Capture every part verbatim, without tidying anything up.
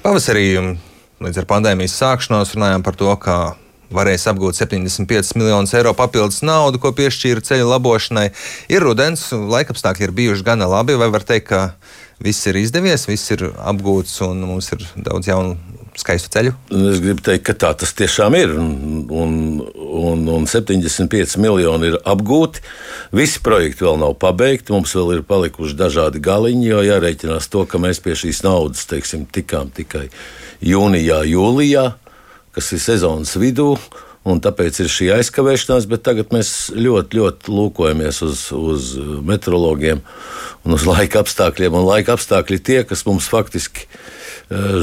Pavasarī līdz ar pandēmijas sākšanos runājām par to, ka varēs apgūt septiņdesmit piecus miljonus eiro papildus naudu, ko piešķīra ceļu labošanai. Ir rudens, laikapstākļi ir bijuši gana labi, vai var teikt, ka viss ir izdevies, viss ir apgūts un mums ir daudz jaunu skaistu ceļu? Es gribu teikt, ka tā tas tiešām ir. Un, un, un, un septiņdesmit pieci miljoni ir apgūti. Visi projekti vēl nav pabeigti. Mums vēl ir palikuši dažādi galiņi, jo jārēķinās to, ka mēs pie šīs naudas, teiksim, tikām tikai jūnijā, jūlijā, kas ir sezonas vidū. Un tāpēc ir šī aizkavēšanās, bet tagad mēs ļoti, ļoti lūkojamies uz, uz meteorologiem un uz laika apstākļiem. Un laika apstākļi tie, kas mums faktiski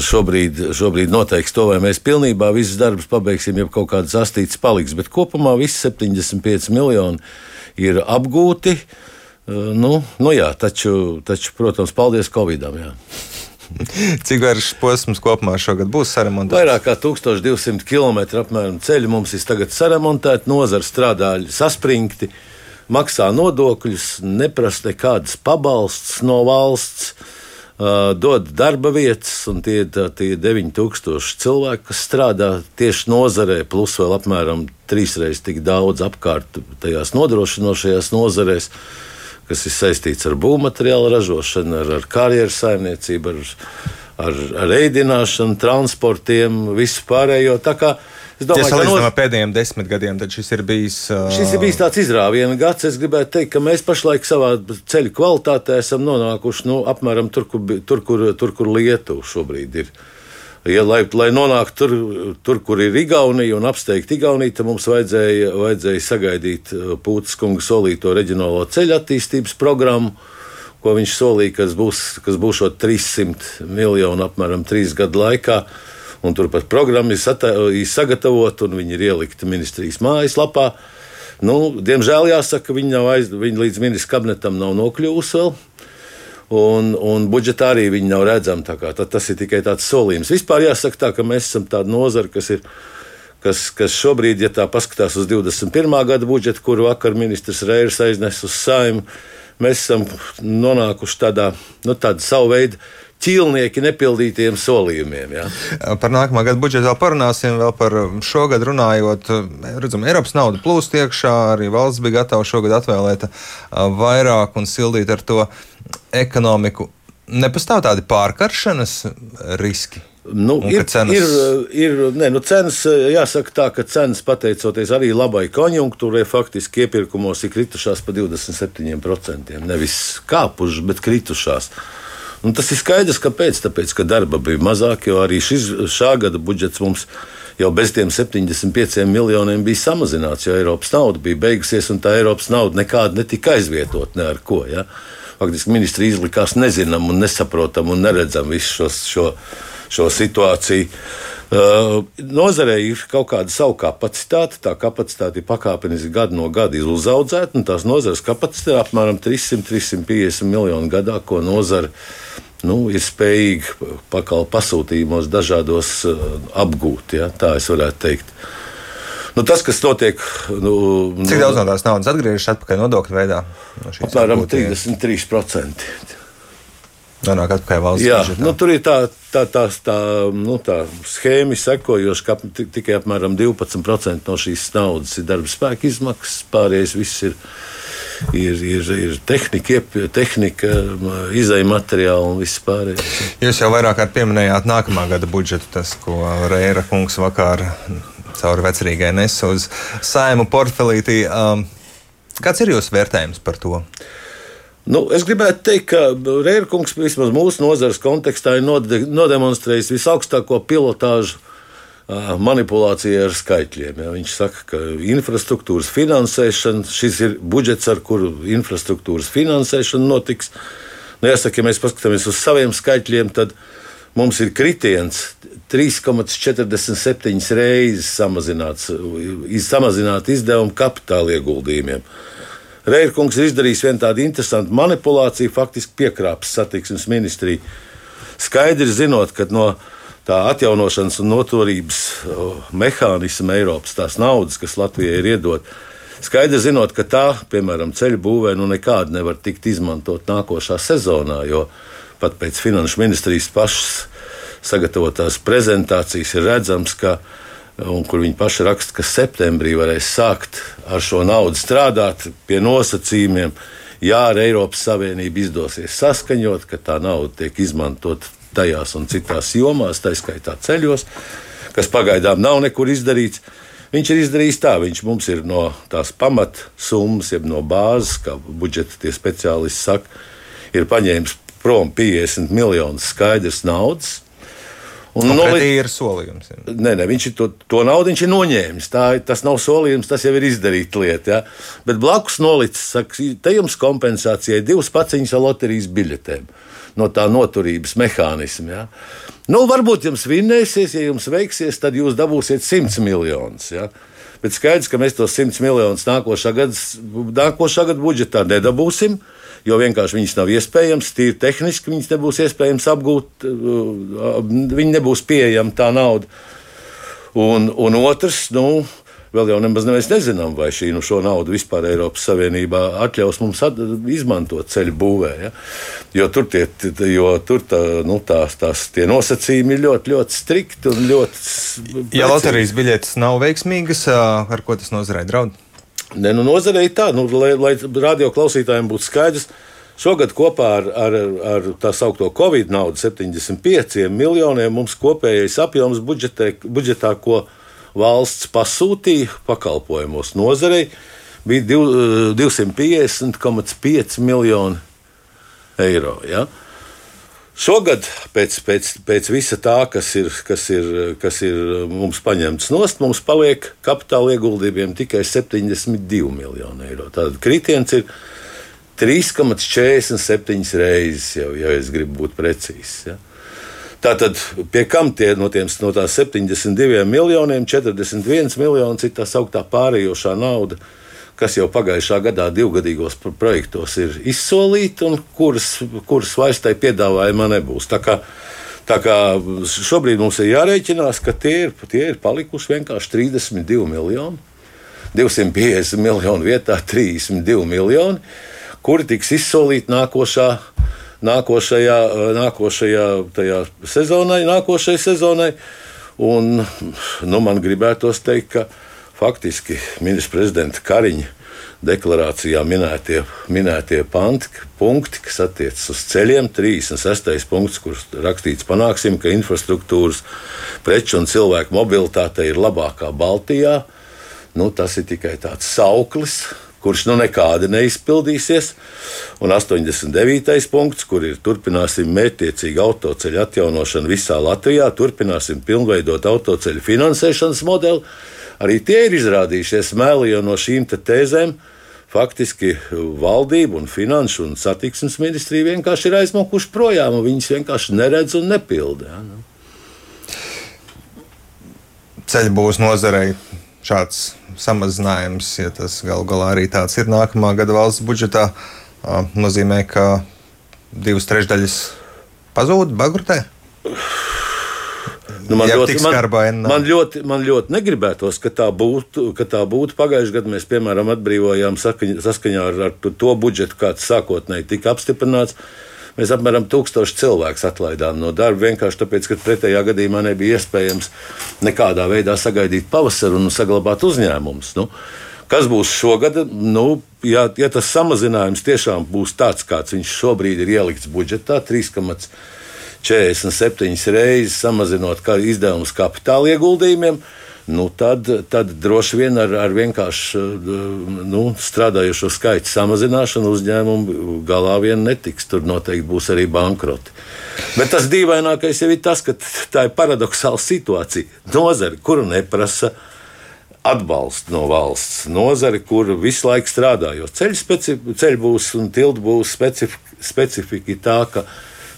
šobrīd, šobrīd noteiks to, vai mēs pilnībā visus darbus pabeigsim, ja kaut kādas astītes paliks. Bet kopumā visi septiņdesmit pieci miljoni ir apgūti. Nu, nu jā, taču, taču, protams, paldies Covidam. Jā. Cik garš posms kopumā šogad būs saremontēts? Vairāk kā tūkstoš divsimt kilometru apmēram ceļu mums ir tagad saremontēti, nozara strādā saspringti, maksā nodokļus, neprasa nekādas pabalsts no valsts, uh, dod darba vietas, un tie ir tie deviņi tūkstoši cilvēki, kas strādā tieši nozarē, plus vēl apmēram trīsreiz tik daudz apkārt tajās nodrošinošajās nozarēs, kas ir saistīts ar būvmateriālu ražošanu, ar, ar karjeru saimniecību, ar, ar, ar ēdināšanu, transportiem, visu pārējo. Tā kā es domāju, ja ka salīdzinām ar pēdējiem desmit gadiem, tad šis ir bijis. Uh... Šis ir bijis tāds izrāviena gads. Es gribētu teikt, ka mēs pašlaik savā ceļu kvalitātē esam nonākuši nu, apmēram tur, kur, tur, kur, tur, kur Lietuva šobrīd ir. Ja, lai, lai nonāktu tur, tur, kur ir Igaunija un apsteigt Igauniju, tad mums vajadzēja, vajadzēja sagaidīt Pūtas kunga solīto reģionālo ceļu attīstības programmu, ko viņš solīja, kas būs, kas būs trīs simti miljoni apmēram trīs gadu laikā. Un turpat programma ir, sata, ir sagatavota un viņi ir ielikti ministrijas mājaslapā. Nu, diemžēl jāsaka, ka viņi, nav aiz, viņi līdz ministrs kabinetam nav nokļuvusi vēl. Un, un budžetā arī viņi nav redzami. Tas ir tikai tāds solījums. Vispār jāsaka tā, ka mēs esam tāda nozara, kas ir, kas, kas šobrīd, ja tā paskatās uz divdesmit pirmā gada budžetu, kuru vakar ministrs Reirs aiznes uz Saeimu, mēs esam nonākuši tādā, nu, tāda savu veidu ķīlnieki nepildītiem solījumiem. Ja? Par nākamā gada budžetu vēl parunāsim, vēl par šogad runājot. Redzam, Eiropas nauda plūst iekšā, arī valsts bija gatava šogad atvēlēt vairāk un sildīt ar to ekonomiku. Nepastāv tādi pārkaršanas riski? Nu, ir, cenas... ir, ir, ne, nu cenas, jāsaka tā, ka cenas pateicoties arī labai konjunktūrai, faktiski iepirkumos ir kritušās pa divdesmit septiņiem procentiem. Nevis kāpušas, bet kritušās. Un tas ir skaidrs, kāpēc. Tāpēc, ka darba bija mazāk, jo arī šis, šā gada budžets mums jau bez tiem septiņdesmit pieciem miljoniem bija samazināts, jo Eiropas nauda bija beigusies, un tā Eiropas nauda nekāda netika aizvietot ne ar ko. Ja? Faktiski ministri izlikās nezinām un nesaprotam un neredzam visu šo, šo, šo situāciju. Uh, nozarei ir kaut kāda savu kapacitāte. Tā kapacitāte ir pakāpeniski gadu no gada uzaudzēta, un tās nozares kapacitāte ir apmēram trīs simti līdz trīs simti piecdesmit miljoni gadā, ko nozare nu, ir spējīga pakal pasūtījumos dažādos uh, apgūt. Ja? Tā es varētu teikt. Nu, tas, kas notiek. Nu, Cik daudz no tās naudas atgriežas atpakaļ nodokļu veidā? No apmēram trīsdesmit trīs procenti. Nonāk atpakaļ valsts Jā, budžetā. Nu, tur ir tā, tā, tā, tā, nu, tā schēma sekojoša, ka tikai apmēram divpadsmit procenti no šīs naudas ir darba spēka izmaksas, pārējais viss ir, ir, ir, ir tehnika, tehnika izēja materiāli un viss pārējais. Jūs jau vairāk kārt pieminējāt nākamā gada budžetu, tas, ko Reira kungs vakar caur vecrīgai nes uz Saimu portfelītī. Kāds ir jūsu vērtējums par to? Nu, es gribētu teikt, ka Reira kungs vismaz mūsu nozares kontekstā ir nodemonstrējis visaugstāko pilotāžu manipulācijai ar skaitļiem. Ja. Viņš saka, ka infrastruktūras finansēšana, šis ir budžets, ar kuru infrastruktūras finansēšana notiks. Nu, jāsaka, ja mēs paskatāmies uz saviem skaitļiem, tad mums ir kritiens trīs komats četrdesmit septiņas reizes samazināts, samazināt izdevumu kapitāla ieguldījumiem. Reira kungs ir izdarījis vienu tādu interesantu manipulāciju, faktiski piekrāpis satiksmes ministriju. Skaidri zinot, ka no tā atjaunošanas un noturības mehānisma Eiropas tās naudas, kas Latvijai ir iedot, skaidri zinot, ka tā, piemēram, ceļu būvē nu nekāda nevar tikt izmantot nākošā sezonā, jo pat pēc finanšu ministrijas pašas sagatavotās prezentācijas ir redzams, ka, un kur viņi paši raksta, ka septembrī varēs sākt ar šo naudu strādāt pie nosacījumiem. Jā, ar Eiropas Savienību izdosies saskaņot, ka tā nauda tiek izmantot tajās un citās jomās, tā skaitā ceļos, kas pagaidām nav nekur izdarīts. Viņš ir izdarījis tā, viņš mums ir no tās pamatsummas, jeb no bāzes, kā budžeta tie speciālisti saka, ir paņēmis prom piecdesmit miljonus skaidrs naudas. Un no pretī ir solījums. Ja. Nē, nē, viņš to, to naudu viņš ir noņēmis. Tā, tas nav solījums, tas jau ir izdarīta lieta. Ja? Bet blakus nolicis, saka, te jums kompensācijai divas paciņas ar loterijas biļetēm no tā noturības mehānisma. Ja? Nu, varbūt jums vinnēsies, ja jums veiksies, tad jūs dabūsiet simts miljonus. Ja? Bet skaidrs, ka mēs tos simts miljonus nākošā gada, nākošā gada budžetā nedabūsim. Jo vienkārši viņas nav iespējams, tīri tehniski viņas nebūs iespējams apgūt, viņi nebūs pieejama tā nauda. Un, un otrs, nu, vēl jau nemaz mēs nezinām, vai šī nu, šo naudu vispār Eiropas Savienībā atļaus mums at, izmantot ceļu būvē. Ja? Jo tur, tie, jo tur tā, nu, tās, tās tie nosacījumi ir ļoti, ļoti strikti un ļoti precīzi. Ja loterijas biļetes nav veiksmīgas, ar ko tas nozarei draud? Ne, nu, nozarei tā, nu, lai, lai radio klausītājiem būtu skaidrs, šogad kopā ar, ar, ar tā saukto Covid naudu septiņdesmit pieciem miljoniem mums kopējais apjoms budžetē, budžetā, ko valsts pasūtīja pakalpojumos nozarei, bija divsimt piecdesmit komats pieci miljoni eiro. Ja? Šogad pēc, pēc, pēc visa tā, kas ir, kas, ir, kas ir mums paņemts nost, mums paliek kapitāla ieguldījumiem tikai septiņdesmit divi miljoni eiro. Tātad kritiens ir trīs komats četrdesmit septiņas reizes, jau, ja es gribu būt precīzs. Ja? Tātad pie kam tie no, tiem, no tās septiņdesmit diviem miljoniem četrdesmit viens miljons ir tā sauktā pārējošā nauda, kas jau pagājušā gadā divgadīgos projektos ir izsolīti un kuras, kuras vairs tai piedāvājumā nebūs. Tā kā, tā kā šobrīd mums ir jārēķinās, ka tie ir, tie ir palikuši vienkārši trīsdesmit divi miljoni, divsimt piecdesmit miljonu vietā trīsdesmit divi miljoni, kuri tiks izsolīti nākošā, nākošajā, nākošajā tajā sezonai, nākošajai sezonai. Un, nu, man gribētos teikt, ka faktiski ministra prezidenta Kariņa deklarācijā minētie, minētie panti, punkti, kas attiecas uz ceļiem, trīsdesmit sestais punkts, kur rakstīts panāksim, ka infrastruktūras, preču un cilvēku mobilitāte ir labākā Baltijā. Nu, tas ir tikai tāds sauklis, kurš nu nekādi neizpildīsies. Un astoņdesmit devītais punkts, kur ir turpināsim mērķtiecīgu autoceļu atjaunošanu visā Latvijā, turpināsim pilnveidot autoceļu finansēšanas modeli. Arī tie ir izrādījušies meli, jo no šīm tēzēm faktiski valdība un finanšu un satiksmes ministrija vienkārši ir aizmokuši projām, un viņas vienkārši neredz un nepilda. Ja, nu. Ceļbūves nozarei šāds samazinājums, ja tas galu galā arī tāds ir nākamā gada valsts budžetā, nozīmē, ka divas trešdaļas pazūd, bankrotē? Nu, man, ļoti, man, man, ļoti, man ļoti negribētos, ka tā būtu. Ka tā būtu. Pagājušajā gadā mēs, piemēram, atbrīvojām sakaņ, saskaņā ar, ar to budžetu, kāds sākotnēji tika apstiprināts. Mēs apmēram tūkstoši cilvēkus atlaidām no darba, vienkārši tāpēc, ka pretējā gadījumā nebija iespējams nekādā veidā sagaidīt pavasaru un saglabāt uzņēmumus. Nu, kas būs šogad? Nu, ja, ja tas samazinājums tiešām būs tāds, kāds viņš šobrīd ir ielikts budžetā, trīs komats četrdesmit septiņas reizes samazinot izdevumus kapitāla ieguldījumiem, nu tad, tad droši vien ar, ar vienkārši nu, strādājošo skaitu samazināšanu uzņēmumu galā vien netiks. Tur noteikti būs arī bankroti. Bet tas dīvainākais jau ir tas, ka tā ir paradoxāla situācija. Nozare, kuru neprasa atbalstu no valsts, nozare, kur visu laiku strādā, jo ceļu būs un tiltu būs specifika, specifika tā, ka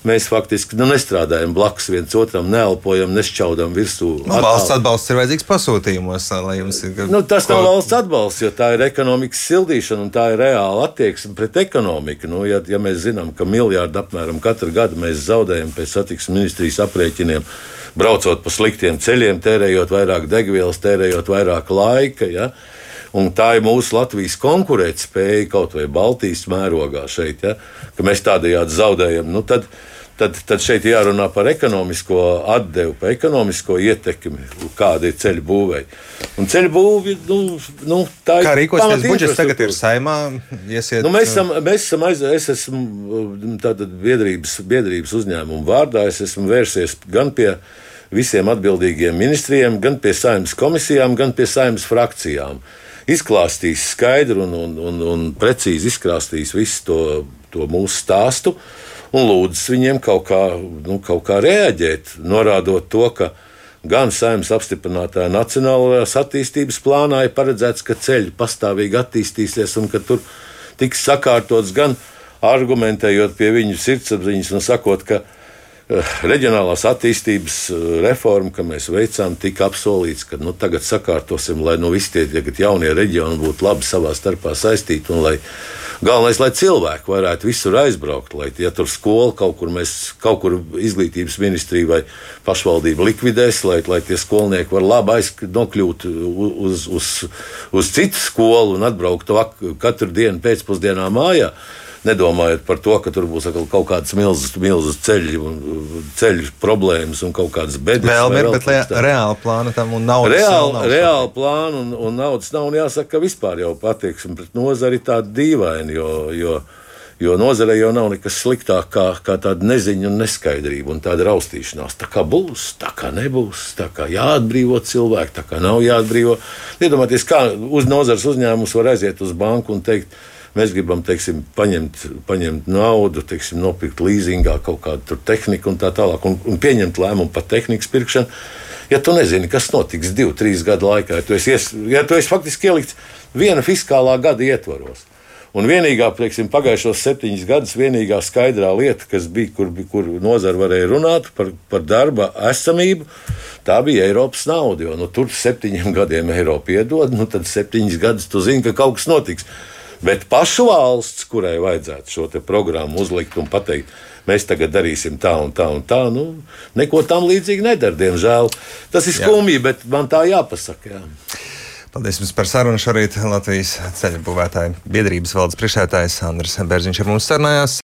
mēs faktiski nu, nestrādājam blakus viens otram, neelpojam, nešķaudam virsū. Nu, valsts atbalsts ir vajadzīgs pasūtījumos, lai jums ir. Nu, tas nav valsts atbalsts, jo tā ir ekonomikas sildīšana un tā ir reāla attieksme pret ekonomiku. Nu, ja, ja mēs zinām, ka miljārdu apmēram katru gadu mēs zaudējam pēc satiksmes ministrijas aprēķiniem, braucot pa sliktiem ceļiem, tērējot vairāk degvielas, tērējot vairāk laika, ja? Un tā ir mūsu Latvijas konkurētspēja kaut vai Baltijas mērogā šeit, ja? Ka mēs tādējādi zaudējam. Nu, tad, Tad, tad šeit jārunā par ekonomisko atdevu, par ekonomisko ietekmi, kāda ir ceļu būvēja. Un ceļu būvi, nu, nu tā ir. Kā rīkosies budžets tagad ir Saeimā? Iesiet... Nu, mēs esam, mēs esam aiz, es esmu tātad biedrības, biedrības uzņēmumu vārdā, es esmu vērsies gan pie visiem atbildīgiem ministriem, gan pie Saeimas komisijām, gan pie Saeimas frakcijām. Izklāstīs skaidru un, un, un, un precīzi izklāstīs visu to, to mūsu stāstu. Un lūdzu viņiem kaut kā, nu, kaut kā reaģēt, norādot to, ka gan Saeimas apstiprinātajā nacionālajās attīstības plānā ir paredzēts, ka ceļi pastāvīgi attīstīsies un ka tur tiks sakārtots, gan argumentējot pie viņu sirdsapziņas un sakot, ka reģionālās attīstības reforma, ka mēs veicām, tika apsolīts, ka nu, tagad sakārtosim, lai nu, visi tie jaunie reģioni būtu labi savā starpā saistīti un lai galvenais, lai cilvēki varētu visur aizbraukt, lai ja tur skola kaut kur, mēs, kaut kur izglītības ministrija vai pašvaldība likvidēs, lai, lai tie skolnieki var labi aiznokļūt uz, uz, uz citu skolu un atbraukt katru dienu pēcpusdienā mājā. Nedomājot par to, ka tur būs kaut kādas milzas, milzas ceļu, ceļu problēmas un kaut kādas bedres. Vēl ir, bet reāla plāna tam un naudas reāla, nav. Reāla plāna un, un naudas nav. Un jāsaka, ka vispār jau attieksme pret nozari ir tāda dīvaina, jo, jo, jo nozarei jau nav nekas sliktāk kā, kā tāda neziņa un neskaidrība un tāda raustīšanās. Tā kā būs, tā kā nebūs, tā kā jāatbrīvo cilvēki, tā kā nav jāatbrīvo. Iedomājieties, kā uz nozares uzņēmums var aiziet uz banku un teikt, mēs gribam, teiksim, paņemt, paņemt naudu, teiksim, nopirkt līzingā kaut kādu tehniku un tā tālāk, un, un pieņemt lēmumu par tehnikas pirkšanu. Ja tu nezini, kas notiks divu, trīs gadu laikā, ja tu esi, ies, ja tu esi faktiski ielikts viena fiskālā gada ietvaros. Un vienīgā, teiksim, pagājušos septiņus gadus, vienīgā skaidrā lieta, kas bija, kur, kur nozara varēja runāt par, par darba esamību, tā bija Eiropas nauda. Jo nu, tur septiņiem gadiem Eiropa iedod, nu tad septiņus gadus tu zini, ka kaut kas notiks. Bet pašu valsts, kurai vajadzētu šo programmu uzlikt un pateikt, mēs tagad darīsim tā un tā un tā, nu, neko tam līdzīgi nedara, diemžēl. Tas ir skumji, bet man tā jāpasaka. Jā. Paldies jums par sarunu. Šorīt Latvijas ceļu būvētāju biedrības valdes priekšsēdētājs Andris Bērziņš ar mums sarunājās.